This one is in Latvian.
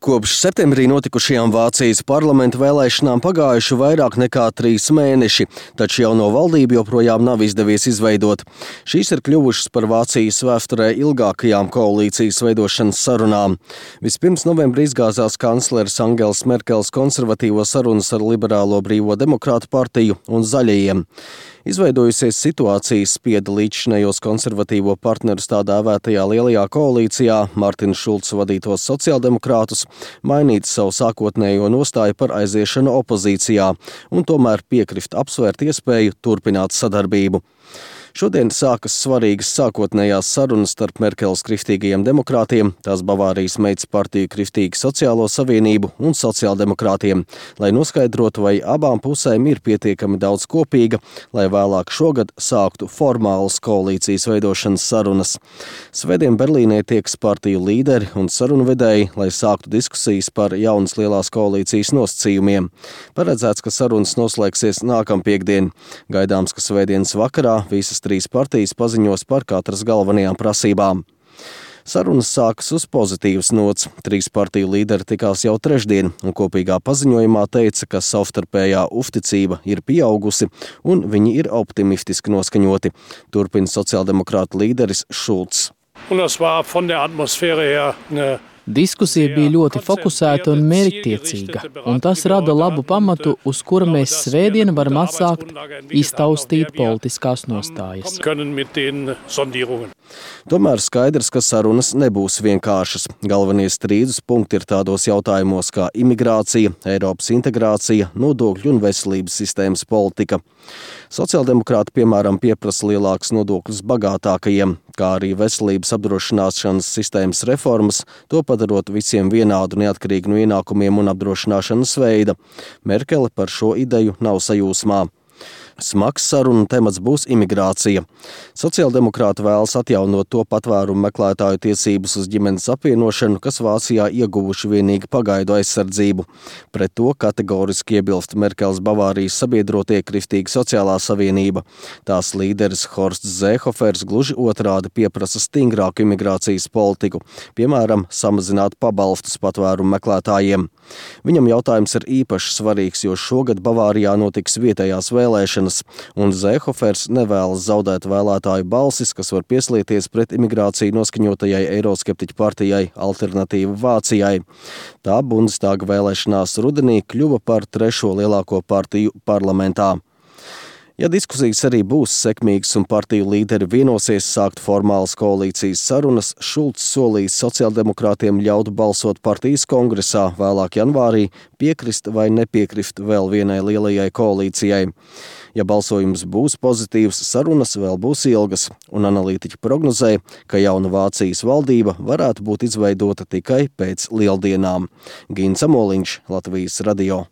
Kopš septembrī notikušajām Vācijas parlamenta vēlēšanām pagājuši vairāk nekā 3 mēneši, taču jauno valdību joprojām nav izdevies izveidot. Šīs ir kļuvušas par Vācijas vēsturē ilgākajām koalīcijas veidošanas sarunām. Vispirms novembrī izgāzās kancleres Angels Merkels konservatīvo sarunas ar Liberālo brīvo demokrātu partiju un Zaļajiem. Izveidojusies situācija spieda līdzšinējos konservatīvo partnerus tā dēvētajā lielajā koalīcijā Martina Šulca vadītos sociāldemokrātus mainīt savu sākotnējo nostāju par aiziešanu opozīcijā un tomēr piekrist apsvērt iespēju turpināt sadarbību. Šodien sākas svarīgas sākotnējās sarunas starp Merkeles kristīgajiem demokrātiem, tās Bavārijas meitas partiju Kristīgu sociālo savienību un sociāldemokrātiem, lai noskaidrotu, vai abām pusēm ir pietiekami daudz kopīga, lai vēlāk šogad sāktu formālas koalīcijas veidošanas sarunas. Svētdien Berlīnē tieks partiju līderi un sarunvedēji, lai sāktu diskusijas par jaunas lielās koalīcijas nosacījumiem. Paredzēts, ka sarunas noslēgsies nākampiekdien. Gaidāms, ka svētdienas vakarā visas 3 partijas paziņos par katras galvenajām prasībām. Sarunas sākas uz pozitīvas nots. 3 partiju līderi tikās jau trešdien un kopīgā paziņojumā teica, ka savstarpējā uzticība ir pieaugusi un viņi ir optimistiski noskaņoti. Turpina sociāldemokrātu līderis Šulcs. Diskusija bija ļoti fokusēta un mērķtiecīga, un tas rada labu pamatu, uz kura mēs svētdien varam atsākt iztaustīt politiskās nostājas. Tomēr skaidrs, ka sarunas nebūs vienkāršas. Galvenie strīdus punkti ir tādos jautājumos kā imigrācija, Eiropas integrācija, nodokļu un veselības sistēmas politika. Sociāldemokrāti, piemēram, pieprasa lielākus nodokļus bagātākajiem, kā arī veselības apdrošināšanas sistēmas reformas, to padarot visiem vienādu neatkarīgi no ienākumiem un apdrošināšanas veida. Merkele par šo ideju nav sajūsmā. Smags sarunu temats būs imigrācija. Sociāldemokrāti vēlas atjaunot to patvērumu meklētāju tiesības uz ģimenes apvienošanu, kas Vācijā ieguvuši vienīgi pagaidu aizsardzību. Pret to kategoriski iebilst Merkeles Bavārijas sabiedrotie Kristīga sociālā savienība. Tās līderis Horsts Zēhofers gluži otrādi pieprasa stingrāku imigrācijas politiku, piemēram, samazināt pabalstus patvērumu meklētājiem. Viņam jautājums ir īpaši svarīgs, jo šogad Bavārijā notiks vietējās vēlēšanas, un Zēhofers nevēlas zaudēt vēlētāju balsis, kas var pieslieties pret imigrāciju noskaņotajai eiroskeptiķu partijai Alternatīva Vācijai. Tā Bundestāga vēlēšanās rudenī kļuva par 3. lielāko partiju parlamentā. Ja diskusijas arī būs sekmīgas un partiju līderi vienosies sākt formālas koalīcijas sarunas, Šulcs solīs sociāldemokrātiem ļaut balsot partijas kongresā vēlāk janvārī, piekrist vai nepiekrist vēl vienai lielajai koalīcijai. Ja balsojums būs pozitīvs, sarunas vēl būs ilgas, un analītiķi prognozē, ka jauna Vācijas valdība varētu būt izveidota tikai pēc lieldienām. Gins Amoliņš, Latvijas radio.